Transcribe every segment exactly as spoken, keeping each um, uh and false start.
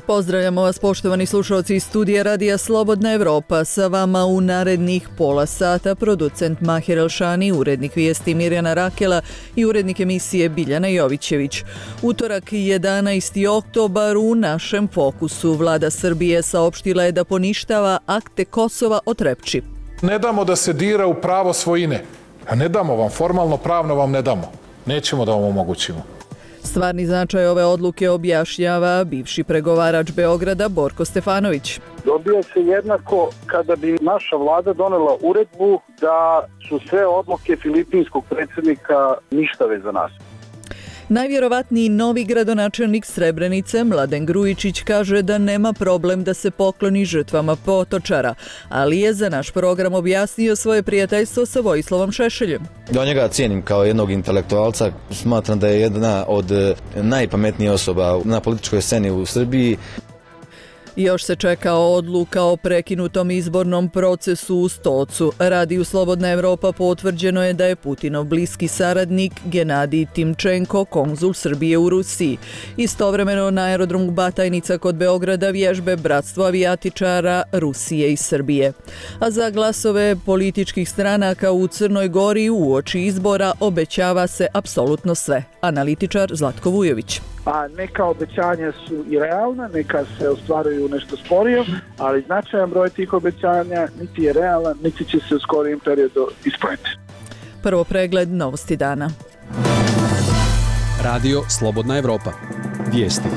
Pozdravljamo vas poštovani slušalci iz studija Radija Slobodna Evropa. Sa vama u narednih pola sata producent Mahir Elšani, urednik vijesti Mirjana Rakela i urednik emisije Biljana Jovićević. Utorak jedanaesti oktobar u našem fokusu. Vlada Srbije saopštila je da poništava akte Kosova o Trepči. Ne damo da se dira u pravo svojine. A ne damo vam, formalno pravno vam ne damo. Nećemo da vam omogućimo. Stvarni značaj ove odluke objašnjava bivši pregovarač Beograda Borko Stefanović. Dobija se jednako kada bi naša vlada donela uredbu da su sve odluke filipinskog predsjednika ništave za nas. Najvjerovatniji novi gradonačelnik Srebrenice, Mladen Grujičić, kaže da nema problem da se pokloni žrtvama Potočara, ali je za naš program objasnio svoje prijateljstvo sa Vojislavom Šešeljem. Ja njega cijenim kao jednog intelektualca, smatram da je jedna od najpametnijih osoba na političkoj sceni u Srbiji. Još se čeka odluka o prekinutom izbornom procesu u Stocu. Radiju Slobodna Evropa potvrđeno je da je Putinov bliski saradnik Genadij Timčenko konzul Srbije u Rusiji. Istovremeno na aerodromu Batajnica kod Beograda vježbe Bratstvo avijatičara Rusije i Srbije. A za glasove političkih stranaka u Crnoj Gori uoči izbora obećava se apsolutno sve. Analitičar Zlatko Vujović. A neka obećanja su i realna, neka se ostvaruju nešto sporije, ali značajan broj tih obećanja niti je realan, niti će se u skorijem periodu ispuniti. Prvo pregled novosti dana. Radio Slobodna Evropa. Vijesti.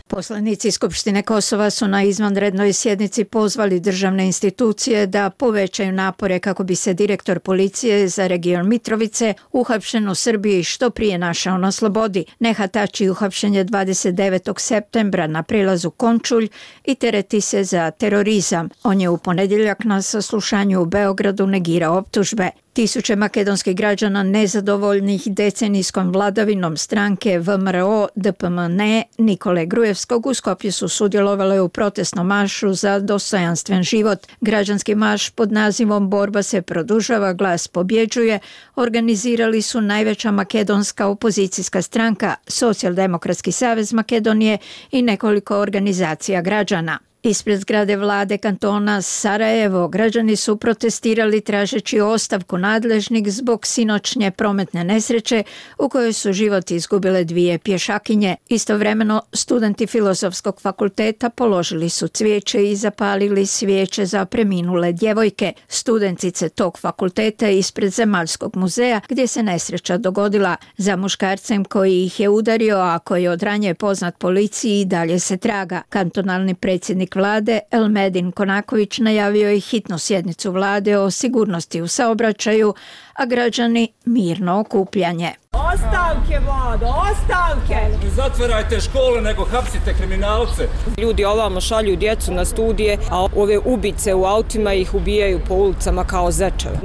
Poslanici Skupštine Kosova su na izvanrednoj sjednici pozvali državne institucije da povećaju napore kako bi se direktor policije za region Mitrovice uhapšen u Srbiji što prije našao na slobodi. Nehatači uhapšen je dvadeset devetog septembra na prelazu Končulj i tereti se za terorizam. On je u ponedjeljak na saslušanju u Beogradu negirao optužbe. Tisuće makedonskih građana nezadovoljnih decenijskom vladavinom stranke V M R O D P M N E Nikole Grujevskog u Skopju su sudjelovale u protestnom maršu za dostojanstven život. Građanski marš pod nazivom Borba se produžava, glas pobjeđuje organizirali su najveća makedonska opozicijska stranka, Socijaldemokratski savez Makedonije i nekoliko organizacija građana. Ispred zgrade vlade kantona Sarajevo građani su protestirali tražeći ostavku nadležnih zbog sinoćnje prometne nesreće u kojoj su život izgubile dvije pješakinje. Istovremeno studenti Filozofskog fakulteta položili su cvijeće i zapalili svijeće za preminule djevojke. Studentice tog fakulteta ispred Zemaljskog muzeja gdje se nesreća dogodila. Za muškarcem koji ih je udario, a koji od ranije poznat policiji, dalje se traga. Kantonalni predsjednik vlade Elmedin Konaković najavio je hitnu sjednicu vlade o sigurnosti u saobraćaju, a građani mirno okupljanje. Ostavke, vlado, ostavke! Ne zatvarajte škole, nego hapsite kriminalce. Ljudi ovamo šalju djecu na studije, a ove ubice u autima ih ubijaju po ulicama kao zečeve.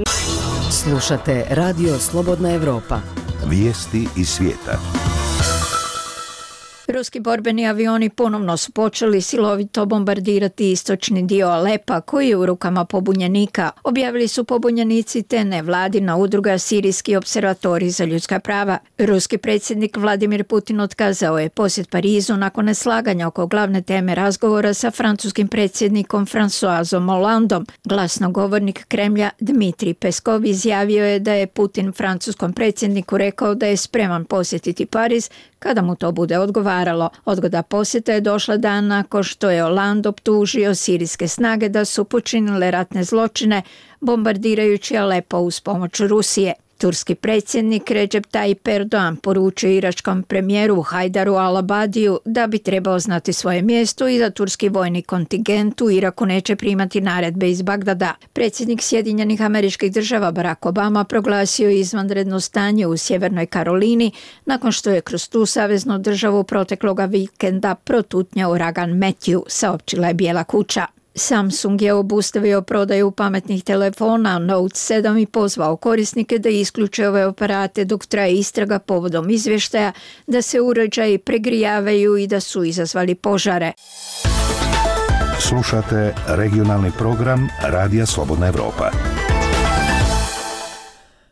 Slušate Radio Slobodna Evropa. Vijesti iz svijeta. Ruski borbeni avioni ponovno su počeli silovito bombardirati istočni dio Alepa koji je u rukama pobunjenika. Objavili su pobunjenici te nevladina udruga Sirijski observatorij za ljudska prava. Ruski predsjednik Vladimir Putin otkazao je posjet Parizu nakon neslaganja oko glavne teme razgovora sa francuskim predsjednikom Françoisom Hollandom. Glasnogovornik Kremlja Dmitrij Peskov izjavio je da je Putin francuskom predsjedniku rekao da je spreman posjetiti Pariz kada mu to bude odgovaralo. Odgoda posjeta je došla dan nakon što je Hollande optužio sirijske snage da su počinile ratne zločine bombardirajući Alepo uz pomoć Rusije. Turski predsjednik Recep Tayyip Erdogan poručio iračkom premijeru Hajdaru al-Abadiju da bi trebao znati svoje mjesto i da turski vojni kontingent u Iraku neće primati naredbe iz Bagdada. Predsjednik Sjedinjenih Američkih Država Barack Obama proglasio izvanredno stanje u Sjevernoj Karolini nakon što je kroz tu saveznu državu protekloga vikenda protutnjao uragan Matthew, saopćila je Bijela kuća. Samsung je obustavio prodaju pametnih telefona Note sedam i pozvao korisnike da isključe ove aparate dok traje istraga povodom izvještaja da se uređaji pregrijavaju i da su izazvali požare. Slušate regionalni program Radija Slobodna Evropa.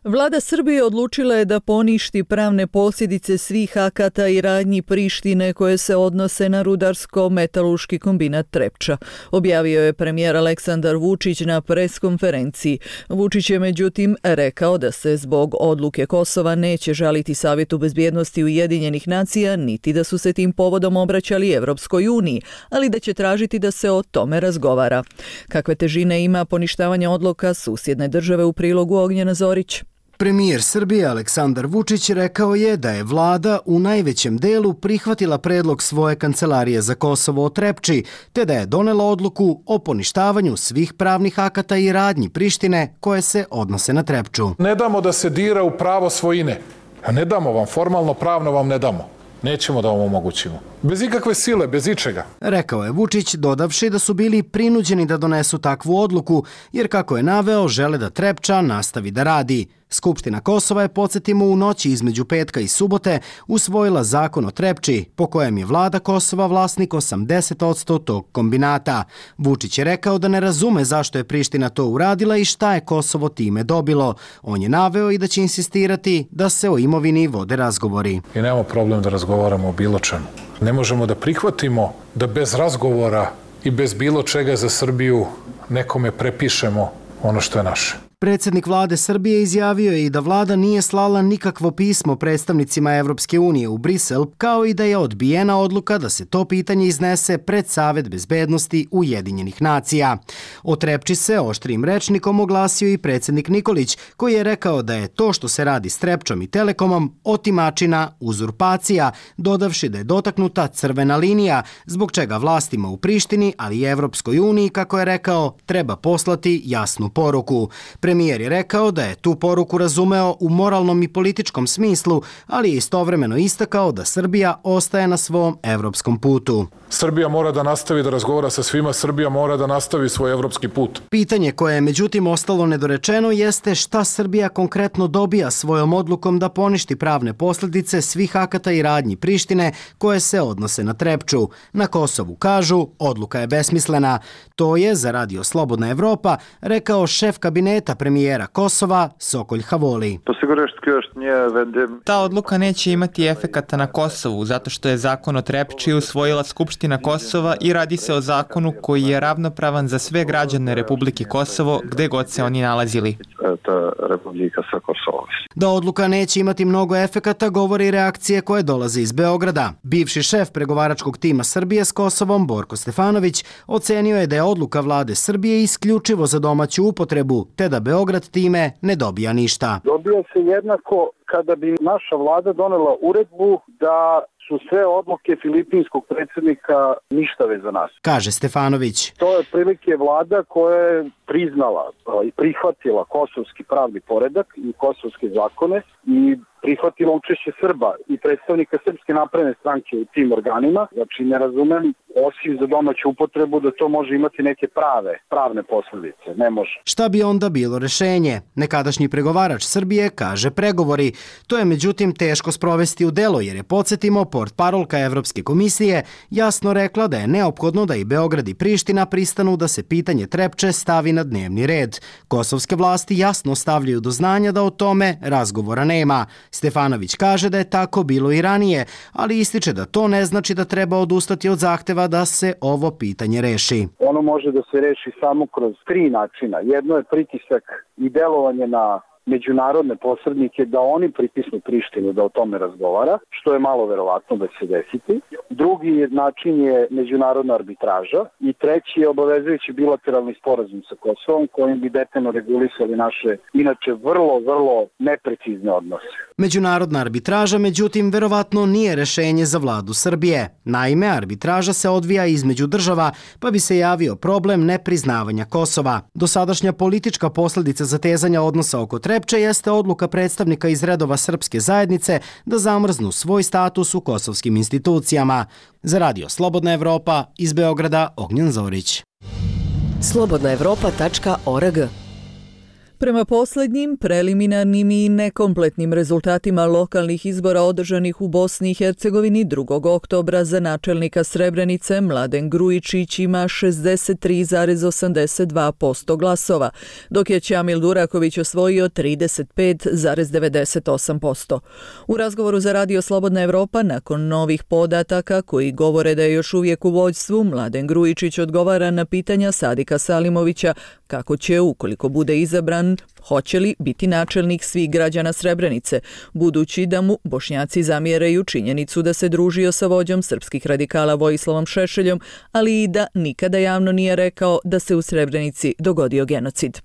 Vlada Srbije odlučila je da poništi pravne posljedice svih akata i radnji Prištine koje se odnose na rudarsko-metalurški kombinat Trepča. Objavio je premijer Aleksandar Vučić na preskonferenciji. Vučić je međutim rekao da se zbog odluke Kosova neće žaliti Savjetu bezbjednosti Ujedinjenih nacija, niti da su se tim povodom obraćali Evropskoj uniji, ali da će tražiti da se o tome razgovara. Kakve težine ima poništavanje odluka susjedne države u prilogu Ognjena Zorić? Premijer Srbije Aleksandar Vučić rekao je da je vlada u najvećem delu prihvatila predlog svoje kancelarije za Kosovo o Trepči, te da je donela odluku o poništavanju svih pravnih akata i radnji Prištine koje se odnose na Trepču. Ne damo da se dira u pravo svojine. A ne damo vam, formalno pravno vam ne damo. Nećemo da vam omogućimo. Bez ikakve sile, bez ičega. Rekao je Vučić, dodavši da su bili prinuđeni da donesu takvu odluku, jer kako je naveo, žele da Trepča nastavi da radi. Skupština Kosova je, podsjetimo, u noći između petka i subote usvojila zakon o Trepči, po kojem je vlada Kosova vlasnik osamdeset posto tog kombinata. Vučić je rekao da ne razume zašto je Priština to uradila i šta je Kosovo time dobilo. On je naveo i da će insistirati da se o imovini vode razgovori. I nemamo problem da razgovaramo o bilo čemu. Ne možemo da prihvatimo da bez razgovora i bez bilo čega za Srbiju nekome prepišemo ono što je naše. Predsjednik vlade Srbije izjavio je i da vlada nije slala nikakvo pismo predstavnicima Evropske unije u Brisel, kao i da je odbijena odluka da se to pitanje iznese pred Savet bezbednosti Ujedinjenih nacija. O Trepči se oštrim rečnikom oglasio i predsjednik Nikolić, koji je rekao da je to što se radi s Trepčom i Telekomom otimačina, uzurpacija, dodavši da je dotaknuta crvena linija, zbog čega vlastima u Prištini, ali i Evropskoj uniji, kako je rekao, treba poslati jasnu poruku. Premijer je rekao da je tu poruku razumeo u moralnom i političkom smislu, ali je istovremeno istakao da Srbija ostaje na svom evropskom putu. Srbija mora da nastavi da razgovara sa svima, Srbija mora da nastavi svoj evropski put. Pitanje koje je međutim ostalo nedorečeno jeste šta Srbija konkretno dobija svojom odlukom da poništi pravne posljedice svih akata i radnji Prištine koje se odnose na Trepču. Na Kosovu kažu, odluka je besmislena. To je, za Radio Slobodna Evropa, rekao šef kabineta premijera Kosova Sokol Havoli. Ta odluka neće imati efekata na Kosovu, zato što je zakon o Trepči usvojila Skupština Kosova i radi se o zakonu koji je ravnopravan za sve građane Republike Kosovo, gde god se oni nalazili. Da odluka neće imati mnogo efekata govori reakcije koje dolaze iz Beograda. Bivši šef pregovaračkog tima Srbije s Kosovom, Borko Stefanović, ocenio je da je odluka vlade Srbije isključivo za domaću upotrebu, te da Beograd time ne dobija ništa. Dobija se jednako kada bi naša vlada donela uredbu da su sve odluke filipinskog predsjednika ništave za nas, kaže Stefanović. To je otprilike vlada koja je priznala i prihvatila kosovski pravni poredak i kosovske zakone i prihvatila učešće Srba i predstavnika Srpske napredne stranke u tim organima. Znači, ne razumem, osim za domaću upotrebu, da to može imati neke prave, pravne posljedice. Ne može. Šta bi onda bilo rešenje? Nekadašnji pregovarač Srbije kaže pregovori. To je međutim teško sprovesti u delo, jer je, podsjetimo, portparolka Evropske komisije jasno rekla da je neophodno da i Beograd i Priština pristanu da se pitanje Trepče stavi na dnevni red. Kosovske vlasti jasno stavljaju do znanja da o tome razgovora nema. Stefanović kaže da je tako bilo i ranije, ali ističe da to ne znači da treba odustati od zahteva da se ovo pitanje reši. Ono može da se reši samo kroz tri načina. Jedno je pritisak i delovanje na međunarodne posrednike da oni pritisnu Prištinu da o tome razgovara, što je malo verovatno da će se desiti. Drugi način je međunarodna arbitraža i treći je obavezujući bilateralni sporazum sa Kosovom kojim bi detaljno regulisali naše inače vrlo, vrlo neprecizne odnose. Međunarodna arbitraža, međutim, verovatno nije rešenje za vladu Srbije. Naime, arbitraža se odvija između država, pa bi se javio problem nepriznavanja Kosova. Dosadašnja politička posljedica zatezanja odnosa oko Trepče jeste odluka predstavnika iz redova srpske zajednice da zamrznu svoj status u kosovskim institucijama. Za Radio Slobodna Evropa, iz Beograda, Ognjen Zorić. slobodna evropa tačka org Prema posljednjim, preliminarnim i nekompletnim rezultatima lokalnih izbora održanih u Bosni i Hercegovini drugog oktobra za načelnika Srebrenice Mladen Grujičić ima šezdeset tri zarez osamdeset dva posto glasova, dok je Ćamil Duraković osvojio trideset pet zarez devedeset osam posto. U razgovoru za Radio Slobodna Evropa nakon novih podataka koji govore da je još uvijek u vođstvu, Mladen Grujičić odgovara na pitanja Sadika Salimovića kako će, ukoliko bude izabran, hoće li biti načelnik svih građana Srebrenice, budući da mu Bošnjaci zamjeraju činjenicu da se družio sa vođom srpskih radikala Vojislavom Šešeljom, ali i da nikada javno nije rekao da se u Srebrenici dogodio genocid.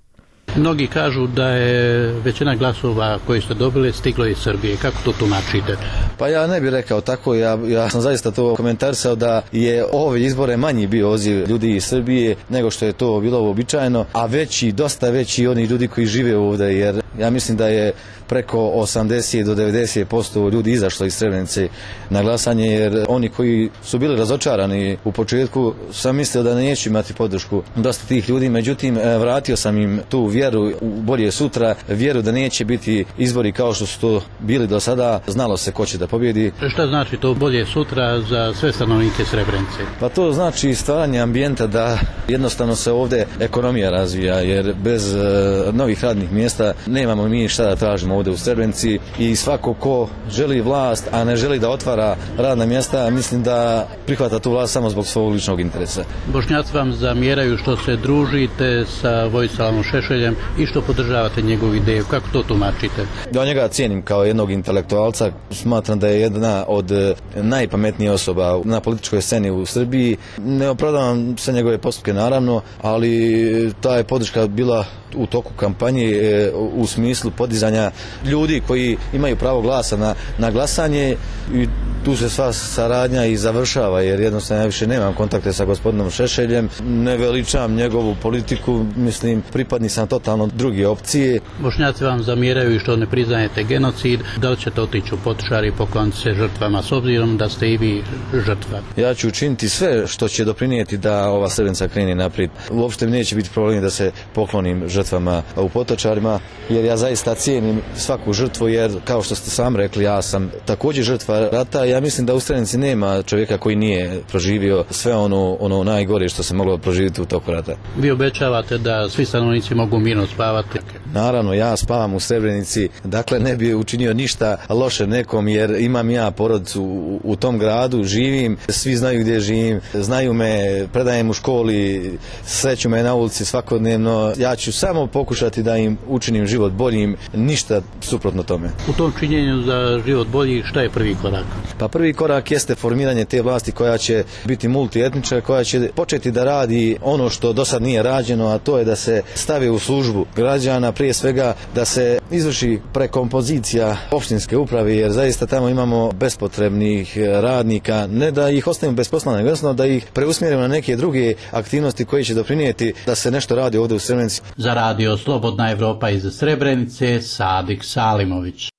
Mnogi kažu da je većina glasova koji ste dobili stiglo iz Srbije. Kako to tumačite? Pa ja ne bih rekao tako, ja, ja sam zaista to komentarisao da je ove izbore manji bio odziv ljudi iz Srbije nego što je to bilo uobičajeno, a veći, dosta veći oni ljudi koji žive ovdje, jer ja mislim da je preko osamdeset do devedeset posto ljudi izašlo iz Srebrenice na glasanje, jer oni koji su bili razočarani u početku sam mislio da neće imati podršku dosta tih ljudi, međutim vratio sam im tu vjeru u bolje sutra, vjeru da neće biti izbori kao što su to bili do sada, znalo se ko će da pobjedi. Šta znači to bolje sutra za sve stanovnike Srebrenice? Pa to znači stvaranje ambijenta da jednostavno se ovdje ekonomija razvija, jer bez uh, novih radnih mjesta nemamo mi šta da tražimo ovdje u Srebrenici i svako ko želi vlast, a ne želi da otvara radna mjesta, mislim da prihvata tu vlast samo zbog svog ličnog interesa. Bošnjaci vam zamjeraju što se družite sa Vojislavom Šešeljem i što podržavate njegovu ideju. Kako to tumačite? Ja njega cijenim kao jednog intelektualca, smatram da je jedna od najpametnijih osoba na političkoj sceni u Srbiji. Ne opravdavam sve njegove postupke naravno, ali ta je podrška bila u toku kampanje u smislu podizanja ljudi koji imaju pravo glasa na, na glasanje i tu se sva saradnja i završava, jer jednostavno ja više nemam kontakte sa gospodinom Šešeljem, ne veličam njegovu politiku, mislim pripadni sam totalno druge opcije. Bošnjaci vam zamjeraju što ne priznajete genocid, da li ćete otići u Potočare i pokloniti se žrtvama s obzirom da ste i vi žrtva? Ja ću učiniti sve što će doprinijeti da ova Srebrenica krene naprijed. Uopšte mi neće biti problem da se poklonim žrtvama u Potočarima, jer ja zaista cijenim svaku žrtvu, jer kao što ste sam rekli, ja sam također žrtva rata. Ja mislim da u Srebrenici nema čovjeka koji nije proživio sve ono, ono najgore što se moglo proživjeti u toku rata. Vi obećavate da svi stanovnici mogu mirno spavati? Naravno, ja spavam u Srebrenici, dakle ne bi učinio ništa loše nekom, jer imam ja porodicu u, u tom gradu, živim, svi znaju gdje živim, znaju me, predajem u školi, sreću me na ulici svakodnevno. Ja ću samo pokušati da im učinim život boljim, ništa suprotno tome. U tom činjenju za život bolji, šta je prvi korak? Pa prvi korak jeste formiranje te vlasti koja će biti multietnička, koja će početi da radi ono što do sad nije rađeno, a to je da se stavi u službu građana, prije svega da se izvrši prekompozicija opštinske uprave, jer zaista tamo imamo bespotrebnih radnika, ne da ih ostavimo bez posla, nego jednostavno da ih preusmjerimo na neke druge aktivnosti koje će doprinijeti da se nešto radi ovdje u Srebrenici. Za Radio Slobodna Evropa iz Srebrenice, Sadik Salimović.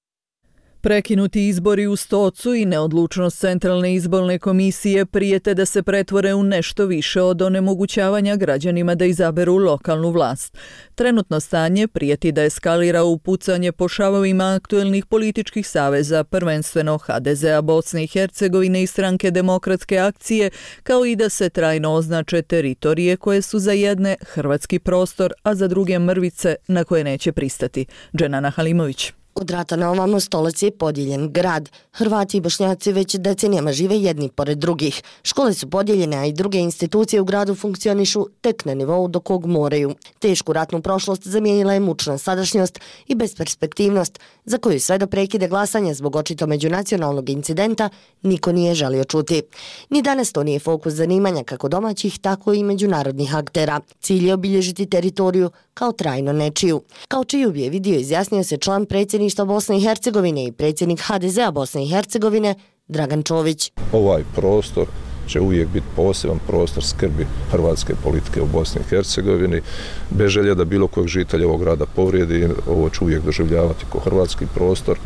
Prekinuti izbori u Stocu i neodlučnost Centralne izborne komisije prijete da se pretvore u nešto više od onemogućavanja građanima da izaberu lokalnu vlast. Trenutno stanje prijeti da eskalira u pucanje po šavovima aktuelnih političkih saveza, prvenstveno ha de zea Bosne i Hercegovine i Stranke demokratske akcije, kao i da se trajno označe teritorije koje su za jedne hrvatski prostor, a za druge mrvice na koje neće pristati. Dženana Halimović. Od rata na ovamo Stolac je podijeljen grad. Hrvati i Bošnjaci već decenijama žive jedni pored drugih. Škole su podijeljene, a i druge institucije u gradu funkcionišu tek na nivou do kog moraju. Tešku ratnu prošlost zamijenila je mučna sadašnjost i besperspektivnost, za koju sve do prekide glasanja zbog očito međunacionalnog incidenta niko nije želio čuti. Ni danas to nije fokus zanimanja kako domaćih, tako i međunarodnih aktera. Cilj je obilježiti teritoriju kao trajno nečiju. Kao čiju bi je vidio izjasnio se član predsjedništva Bosne i Hercegovine i predsjednik ha de zea Bosne i Hercegovine Dragan Čović. Ovaj prostor će uvijek biti poseban prostor skrbi hrvatske politike u Bosni i Hercegovini. Bez želje da bilo kojeg žitelja ovog grada povrijedi, ovo će uvijek doživljavati kao hrvatski prostor.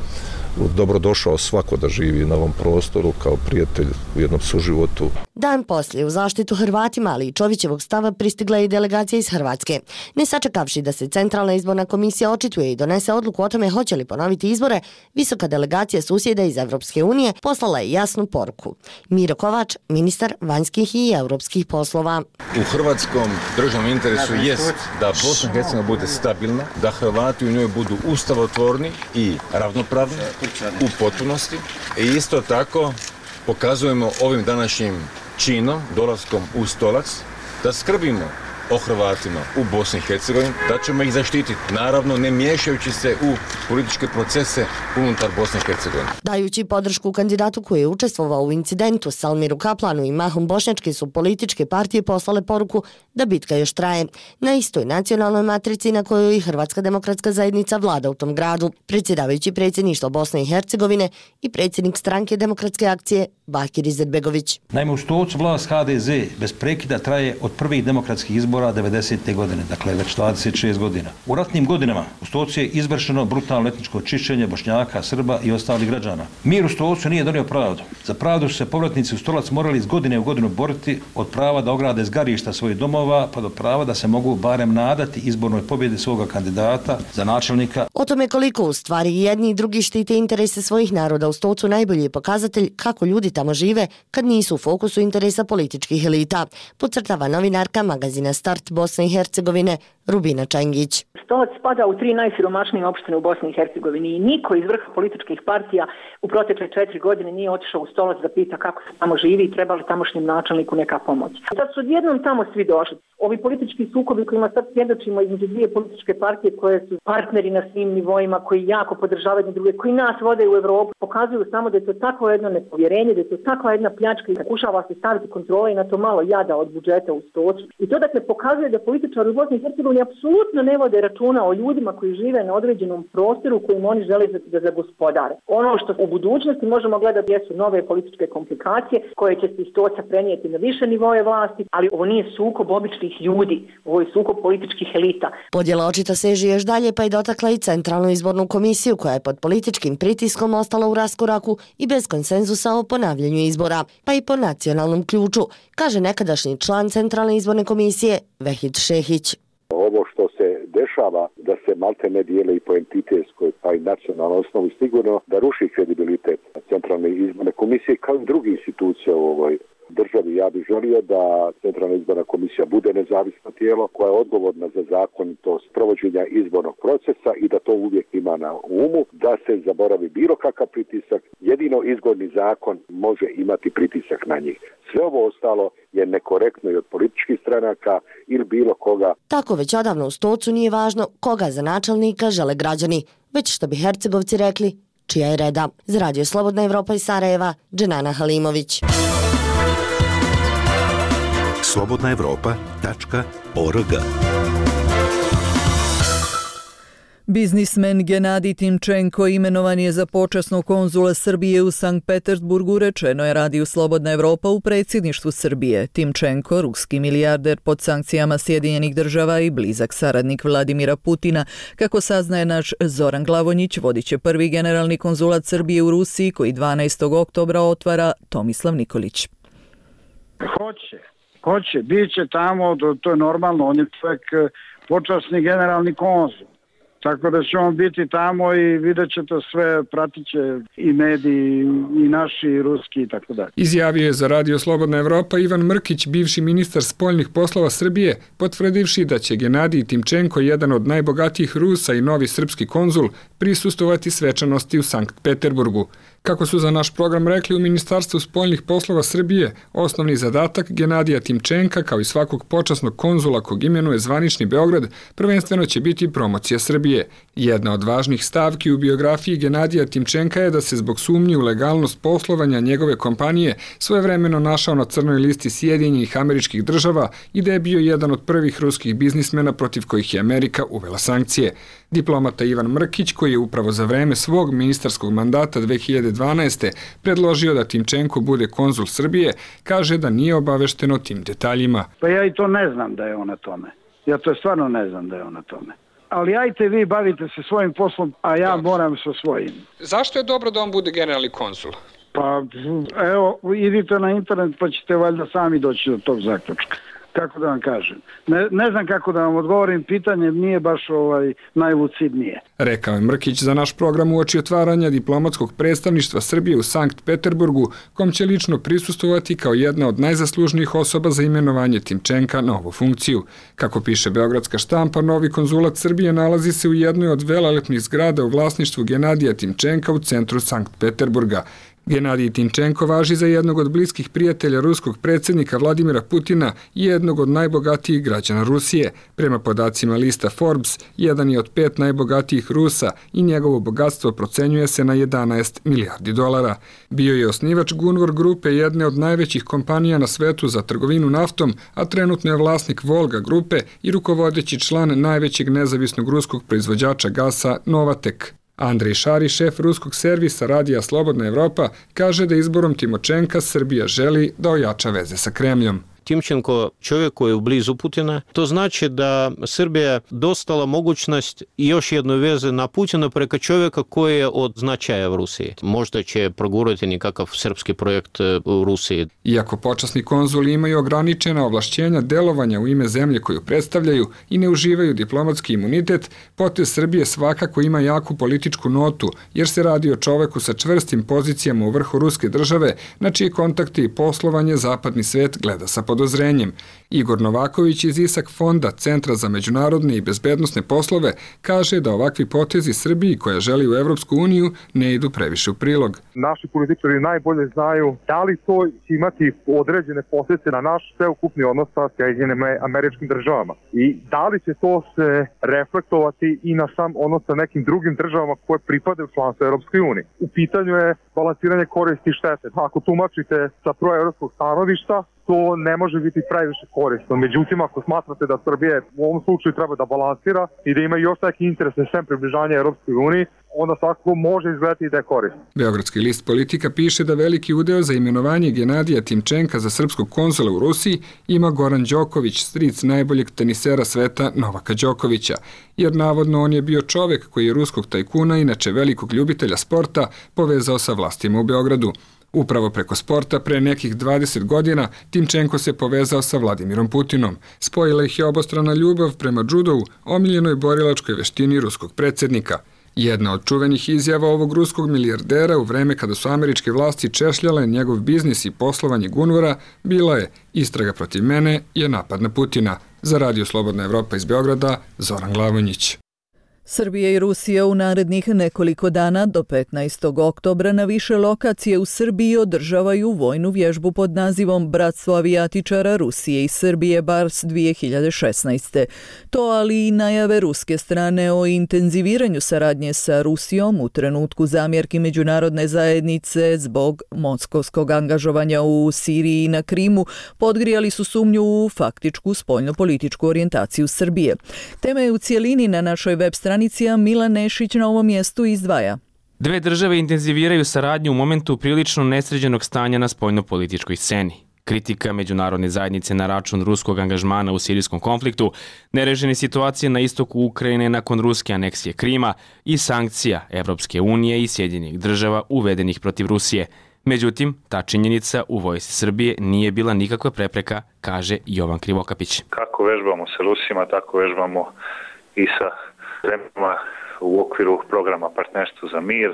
dobrodošao svako da živi na ovom prostoru kao prijatelj u jednom suživotu. Dan poslije u zaštitu Hrvatima, ali i Čovićevog stava pristigla je i delegacija iz Hrvatske. Ne sačekavši da se Centralna izborna komisija očituje i donese odluku o tome hoće li ponoviti izbore, visoka delegacija susjeda iz Evropske unije poslala je jasnu poruku. Miro Kovač, ministar vanjskih i europskih poslova. U hrvatskom državnom interesu jest da Bosna i Hercegovina bude stabilna, da Hrvati u njoj budu ustavotvorni i ravnopravni u potpunosti. I isto tako pokazujemo ovim današnjim činom, dolaskom u stolac, da skrbimo o Hrvatima u Bosni i Hercegovini, da ćemo ih zaštititi, naravno ne miješajući se u političke procese unutar Bosne i Hercegovine. Dajući podršku kandidatu koji je učestvovao u incidentu Salmiru Kaplanu i mahom bošnjačke su političke partije poslale poruku da bitka još traje. Na istoj nacionalnoj matrici na kojoj i Hrvatska demokratska zajednica vlada u tom gradu. Predsjedavajući predsjedništva Bosne i Hercegovine i predsjednik stranke Demokratske akcije Bakir Izetbegović. Naime, u Stocu vlast H D Z bez prekida traje od prvih demokratskih izbora devedesete godine, dakle već dvadeset šest godina. U ratnim godinama u Stocu je izvršeno brutalno etničko čišćenje Bošnjaka, Srba i ostalih građana. Mir u Stocu nije donio pravdu. Za pravdu su se povratnici u Stolac morali iz godine u godinu boriti, od prava da ograde zgarišta svojih domova pa do prava da se mogu barem nadati izbornoj pobjedi svoga kandidata za načelnika. O tome koliko u stvari jedni i drugi štite interese svojih naroda u Stocu najbolji je pokazatelj kako ljudi tamo žive kad nisu u fokusu interesa političkih elita, podcrtava novinarka magazina Start Bosne i Hercegovine Rubina Čengić. Stolac spada u tri najsiromašnije opštine u Bosni i Hercegovini i niko iz vrha političkih partija u protekle četiri godine nije otišao u Stolac da pita kako se tamo živi i treba li tamošnjem načelniku neka pomoć. Sad su odjednom tamo svi došli. Ovi politički sukobi kojima sad svjedočimo između dvije političke partije koje su partneri na svim nivoima, koji jako podržavaju jedne druge, koji nas vode u Evropu, pokazuju samo da je to takvo jedno nepovjerenje, da je to takva jedna pljačka i pokušava se staviti kontrola i na to malo jada od budžeta u Stocu. I to dakle pokazuje da političari u Bosni i Hercegovini apsolutno ne vode računa o ljudima koji žive na određenom prostoru kojim oni žele da zagospodare. Ono što u budućnosti možemo gledati jesu nove političke komplikacije koje će se iz Stoca prenijeti na više nivoje vlasti, ali ovo nije sukob običnih ljudi, ovo je sukob političkih elita. Podjela očito seže još dalje pa je dotakla i Centralnu izbornu komisiju koja je pod političkim pritiskom ostala u raskoraku i bez konsenzusa o ponavljanju izbora, pa i po nacionalnom ključu, kaže nekadašnji član Centralne izborne komisije Vehid Šehić. Ovo što se dešava da se malte ne dijele i po entitetskoj pa i nacionalnoj osnovi sigurno da ruši kredibilitet Centralne izborne komisije kao i drugih institucija u ovoj državi. Ja bih želio da Centralna izborna komisija bude nezavisno tijelo koja je odgovorna za zakonitost provođenja izbornog procesa i da to uvijek ima na umu, da se zaboravi bilo kakav pritisak. Jedino izborni zakon može imati pritisak na njih. Sve ovo ostalo je nekorektno i od političkih stranaka ili bilo koga. Tako već odavno u Stocu nije važno koga za načelnika žele građani, već što bi Hercegovci rekli, čija je reda. Za Radio Slobodna Evropa iz Sarajeva, Dženana Halimović. slobodna evropa tačka org. Biznismen Genadij Timčenko imenovan je za počasnog konzula Srbije u Sankt Petersburgu, rečeno je Radiju Slobodna Evropa u predsjedništvu Srbije. Timčenko, ruski milijarder pod sankcijama Sjedinjenih država i blizak saradnik Vladimira Putina, kako saznaje naš Zoran Glavonjić, vodit će prvi generalni konzulat Srbije u Rusiji koji dvanaestog oktobra otvara Tomislav Nikolić. Hoće, hoće, bit će tamo, to je normalno, on je čovjek počasni generalni konzul. Tako da će on biti tamo i vidjet će to sve, pratit će i mediji, i naši, i ruski i tako dalje. Izjavio je za Radio Slobodna Evropa Ivan Mrkić, bivši ministar spoljnih poslova Srbije, potvrdivši da će Genadij Timčenko, jedan od najbogatijih Rusa i novi srpski konzul, prisustovati svečanosti u Sankt Peterburgu. Kako su za naš program rekli u Ministarstvu spoljnih poslova Srbije, osnovni zadatak Genadija Timčenka, kao i svakog počasnog konzula kog imenuje zvanični Beograd, prvenstveno će biti promocija Srbije. Jedna od važnih stavki u biografiji Genadija Timčenka je da se zbog sumnji u legalnost poslovanja njegove kompanije svojevremeno našao na crnoj listi Sjedinjenih Američkih Država i da je bio jedan od prvih ruskih biznismena protiv kojih je Amerika uvela sankcije. Diplomata Ivan Mrkić, koji je upravo za vreme svog ministarskog mandata dve hiljade dvanaeste. predložio da Timčenko bude konzul Srbije, kaže da nije obavešten o tim detaljima. Pa ja i to ne znam da je on na tome. Ja to stvarno ne znam da je on na tome. ali ajte vi bavite se svojim poslom, a ja moram sa svojim. Zašto je dobro da on bude generalni konzul? Pa evo, idite na internet pa ćete valjda sami doći do tog zaključka. Kako da vam kažem. Ne, ne znam kako da vam odgovorim, pitanje nije baš ovaj najlucidnije. Rekao je Mrkić za naš program uoči otvaranja diplomatskog predstavništva Srbije u Sankt Peterburgu, kom će lično prisustovati kao jedna od najzaslužnijih osoba za imenovanje Timčenka na ovu funkciju. Kako piše beogradska štampa, novi konzulat Srbije nalazi se u jednoj od velelepnih zgrada u vlasništvu Genadija Timčenka u centru Sankt Peterburga. Genadij Timčenko važi za jednog od bliskih prijatelja ruskog predsjednika Vladimira Putina i jednog od najbogatijih građana Rusije. Prema podacima lista Forbes, jedan je od pet najbogatijih Rusa i njegovo bogatstvo procenjuje se na jedanaest milijardi dolara. Bio je osnivač Gunvor grupe, jedne od najvećih kompanija na svetu za trgovinu naftom, a trenutno je vlasnik Volga grupe i rukovodeći član najvećeg nezavisnog ruskog proizvođača gasa Novatek. Andrej Šari, šef ruskog servisa radija Slobodna Evropa, kaže da izborom Timočenka Srbija želi da ojača veze sa Kremljom. Timčenko čovjek koji je blizu Putina. To znači da Srbija dostala mogućnost i još jednu veze na Putina preko čovjeka koji je od značaja u Rusiji. Možda će progurati nekakav srpski projekt u Rusiji. Iako počasni konzuli imaju ograničena ovlašćenja delovanja u ime zemlje koju predstavljaju i ne uživaju diplomatski imunitet, potez Srbije svakako ima jaku političku notu, jer se radi o čoveku sa čvrstim pozicijama u vrhu ruske države, na čije kontakte i poslovanje zapadni svet gleda sa podozrenjem. Igor Novaković iz Isak fonda, Centra za međunarodne i bezbednosne poslove, kaže da ovakvi potezi Srbiji koja želi u Evropsku uniju ne idu previše u prilog. Naši političari najbolje znaju da li to će imati određene posljedice na naš sveukupni odnos sa Sjedinjenim Američkim Državama i da li će to se reflektovati i na sam odnos sa nekim drugim državama koje pripadaju članstvu Evropskoj uniji. U pitanju je balansiranje koristi i štete. Ako tumačite sa proevropskog stanovišta, to ne može biti previše korisno. Međutim, ako smatrate da Srbije u ovom slučaju treba da balansira i da ima još neki interes sem približanja Europskoj uniji, onda svakako može izgledati da je korisno. Beogradski list Politika piše da veliki udeo za imenovanje Genadija Timčenka za srpskog konzula u Rusiji ima Goran Đoković, stric najboljeg tenisera sveta Novaka Đokovića, jer navodno on je bio čovek koji je ruskog tajkuna, inače velikog ljubitelja sporta, povezao sa vlastima u Beogradu. Upravo preko sporta pre nekih dvadeset godina Timčenko se povezao sa Vladimirom Putinom. Spojila ih je obostrana ljubav prema džudovu, omiljenoj borilačkoj veštini ruskog predsjednika. Jedna od čuvenih izjava ovog ruskog milijardera u vreme kada su američke vlasti češljale njegov biznis i poslovanje Gunvora bila je: istraga protiv mene je napad na Putina. Za Radio Slobodna Evropa iz Beograda, Zoran Glavonjić. Srbija i Rusija u narednih nekoliko dana do petnaestog oktobra na više lokacije u Srbiji održavaju vojnu vježbu pod nazivom Bratstvo avijatičara Rusije i Srbije Bars dvije hiljade šesnaeste. To, ali i najave ruske strane o intenziviranju saradnje sa Rusijom u trenutku zamjerki međunarodne zajednice zbog moskovskog angažovanja u Siriji i na Krimu, podgrijali su sumnju u faktičku spoljnopolitičku orijentaciju Srbije. Tema je u cijelini na našoj web stranici. Milan Nešić na ovom mjestu izdvaja. Dve države intenziviraju saradnju u momentu prilično nesređenog stanja na spoljnopolitičkoj sceni. Kritika međunarodne zajednice na račun ruskog angažmana u sirijskom konfliktu, nerešene situacije na istoku Ukrajine nakon ruske aneksije Krima i sankcija Evropske unije i Sjedinjenih država uvedenih protiv Rusije. Međutim, ta činjenica u vojsci Srbije nije bila nikakva prepreka, kaže Jovan Krivokapić. Kako vežbamo sa Rusima, tako vežbamo i sa zemljama u okviru programa Partnerstvo za mir.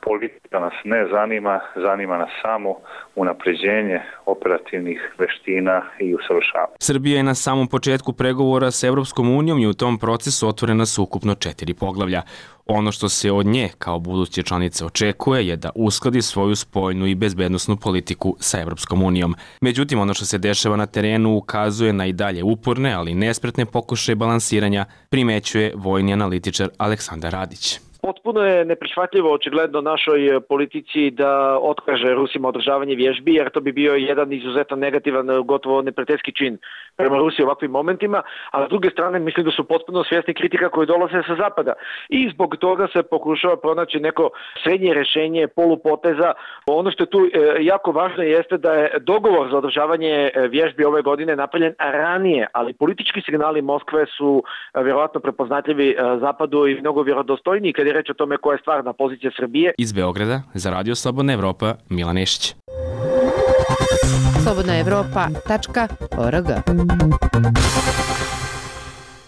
Politika nas ne zanima, zanima nas samo unapređenje operativnih veština i usavršavanja. Srbija je na samom početku pregovora s Evropskom unijom i u tom procesu otvorena su ukupno četiri poglavlja. Ono što se od nje kao buduće članice očekuje je da uskladi svoju spoljnu i bezbednosnu politiku sa Evropskom unijom. Međutim, ono što se dešava na terenu ukazuje na i dalje uporne, ali nespretne pokušaje balansiranja, primećuje vojni analitičar Aleksandar Radić. Potpuno je neprihvatljivo očigledno našoj politici da otkaže Rusima održavanje vježbi, jer to bi bio jedan izuzetno negativan, gotovo neprijateljski čin prema Rusiji u ovakvim momentima, a s druge strane mislim da su potpuno svjesni kritika koji dolaze sa zapada. I zbog toga se pokušava pronaći neko srednje rješenje, polupoteza. Ono što je tu jako važno jeste da je dogovor za održavanje vježbi ove godine napravljen ranije, ali politički signali Moskve su vjerojatno prepoznatljivi zapadu i mnogo vjerodostojniji kad je reč o tome koja je stvarna pozicija Srbije. Iz Beograda za Radio Slobodna Evropa, Milan Nešić. slobodna evropa tačka org.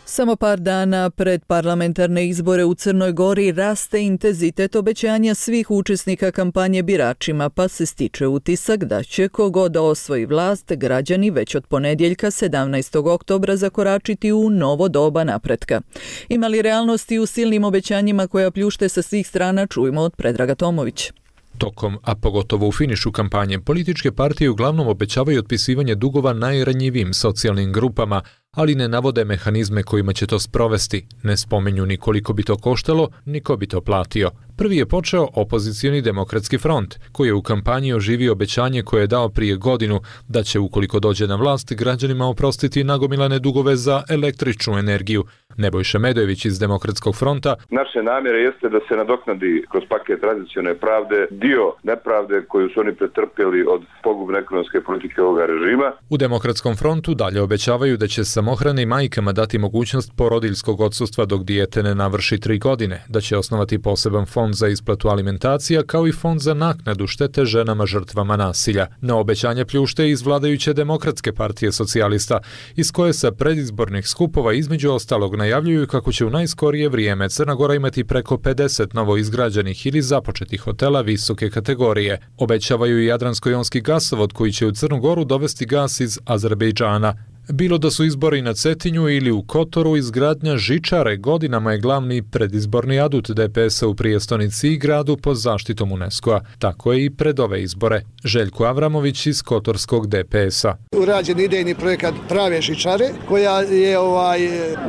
Samo par dana pred parlamentarne izbore u Crnoj Gori raste intenzitet obećanja svih učesnika kampanje biračima, pa se stiče utisak da će kogod da osvoji vlast, građani već od ponedjeljka sedamnaestog oktobra zakoračiti u novo doba napretka. Ima li realnosti u silnim obećanjima koja pljušte sa svih strana, čujemo od Predraga Tomović. Tokom, a pogotovo u finišu kampanje, političke partije uglavnom obećavaju otpisivanje dugova najranjivijim socijalnim grupama, ali ne navode mehanizme kojima će to sprovesti, ne spomenju ni koliko bi to koštalo, ni ko bi to platio. Prvi je počeo opozicioni Demokratski front, koji je u kampanji oživio obećanje koje je dao prije godinu da će, ukoliko dođe na vlast, građanima oprostiti nagomilane dugove za električnu energiju. Nebojša Medojević iz Demokratskog fronta: naše namjere jeste da se nadoknadi kroz paket tradicionalne pravde dio nepravde koju su oni pretrpjeli od pogubne ekonomske politike ovoga režima. U Demokratskom frontu dalje obećavaju da će samohrane majkama dati mogućnost porodiljskog odsustva dok dijete ne navrši tri godine, da će osnovati poseban fond za isplatu alimentacija kao i fond za naknadu štete ženama žrtvama nasilja. Na obećanje pljušte iz vladajuće Demokratske partije socijalista, iz koje sa predizbornih skupova između ostalog najavljuju kako će u najskorije vrijeme Crna Gora imati preko pedeset novo izgrađenih ili započetih hotela visoke kategorije. Obećavaju i Jadransko-jonski gasovod koji će u Crnu Goru dovesti gas iz Azerbejdžana. Bilo da su izbori na Cetinju ili u Kotoru, izgradnja žičare godinama je glavni predizborni adut D P S-a u prijestonici i gradu pod zaštitom UNESCO-a. Tako je i pred ove izbore. Željko Avramović iz Kotorskog D P S-a. Urađen idejni projekat prave žičare koja je ovaj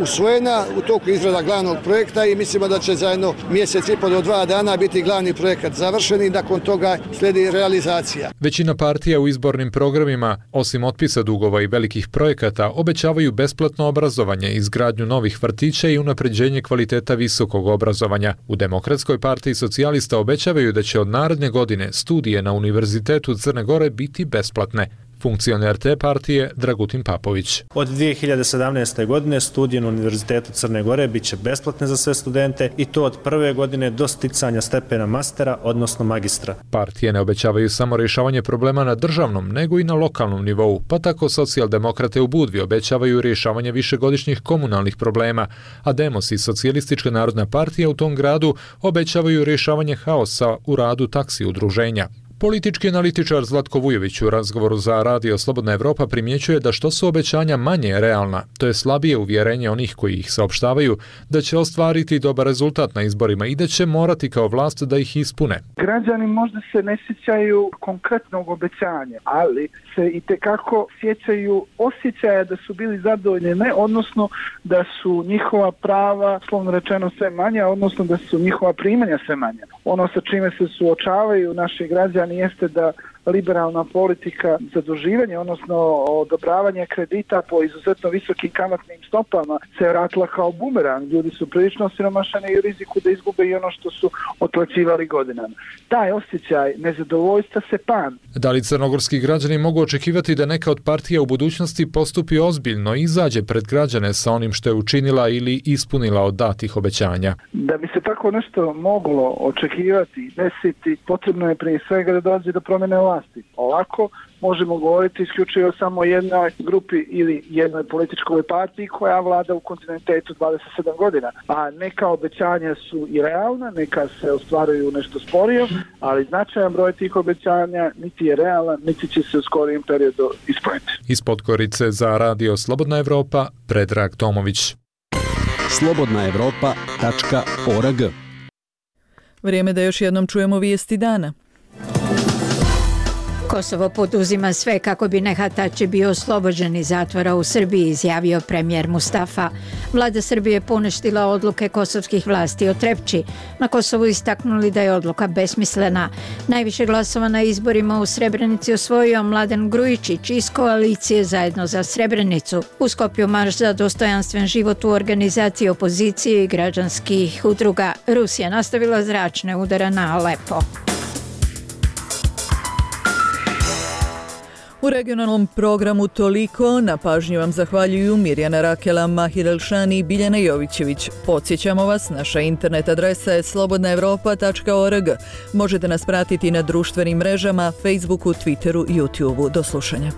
usvojena u toku izrada glavnog projekta i mislimo da će zajedno mjesec i pol do dva dana biti glavni projekat završen i nakon toga slijedi realizacija. Većina partija u izbornim programima, osim otpisa dugova i velikih projekata, obećavaju besplatno obrazovanje, izgradnju novih vrtića i unapređenje kvaliteta visokog obrazovanja. U Demokratskoj partiji socijalista obećavaju da će od naredne godine studije na Univerzitetu Crne Gore biti besplatne. Funkcioner te partije Dragutin Papović. Od dvije hiljade sedamnaeste. godine studije na Univerzitetu Crne Gore bit će besplatne za sve studente i to od prve godine do sticanja stepena mastera, odnosno magistra. Partije ne obećavaju samo rješavanje problema na državnom, nego i na lokalnom nivou, pa tako socijaldemokrate u Budvi obećavaju rješavanje višegodišnjih komunalnih problema, a Demos i Socijalistička narodna partija u tom gradu obećavaju rješavanje haosa u radu taksi udruženja. Politički analitičar Zlatko Vujović u razgovoru za Radio Slobodna Evropa primjećuje da što su obećanja manje realna, to je slabije uvjerenje onih koji ih saopštavaju, da će ostvariti dobar rezultat na izborima i da će morati kao vlast da ih ispune. Građani možda se ne sjećaju konkretnog obećanja, ali se i tekako sjećaju osjećaja da su bili zadovoljni, ne, odnosno da su njihova prava, slovno rečeno, sve manja, odnosno da su njihova primanja sve manja. Ono sa čime se suočavaju naši građani jeste da liberalna politika zaduživanja, odnosno odobravanje kredita po izuzetno visokim kamatnim stopama se vratila kao bumerang. Ljudi su prilično osiromašeni i u riziku da izgube i ono što su otplaćivali godinama. Taj osjećaj nezadovoljstva se pan. Da li crnogorski građani mogu očekivati da neka od partija u budućnosti postupi ozbiljno i izađe pred građane sa onim što je učinila ili ispunila od datih obećanja? Da bi se tako nešto moglo očekivati i desiti, potrebno je prije svega da dođe do promjene vlasti. Ovako možemo govoriti isključivo samo o jednoj grupi ili jednoj političkoj partiji koja vlada u kontinuitetu dvadeset sedam godina. A neka obećanja su i realna, neka se ostvaruju nešto sporije, ali značajan broj tih obećanja niti je realan, niti će se u skorijem periodu ispuniti. Iz Podgorice za Radio Slobodna Evropa, Predrag Tomović. slobodna evropa tačka org. Vrijeme da još jednom čujemo vijesti dana. Kosovo poduzima sve kako bi Nehatači bio oslobođen iz zatvora u Srbiji, izjavio premijer Mustafa. Vlada Srbije je poništila odluke kosovskih vlasti o Trepči. Na Kosovu istaknuli da je odluka besmislena. Najviše glasova na izborima u Srebrenici osvojio Mladen Grujičić iz koalicije Zajedno za Srebrenicu. U Skopju marš za dostojanstven život u organizaciji opozicije i građanskih udruga. Rusija nastavila zračne udare na Alepo. U regionalnom programu toliko, na pažnju vam zahvaljuju Mirjana Rakela, Mahir Elšani i Biljana Jovićević. Podsjećamo vas, naša internet adresa je slobodna evropa tačka org. Možete nas pratiti na društvenim mrežama, Facebooku, Twitteru i YouTubeu. Do slušanja.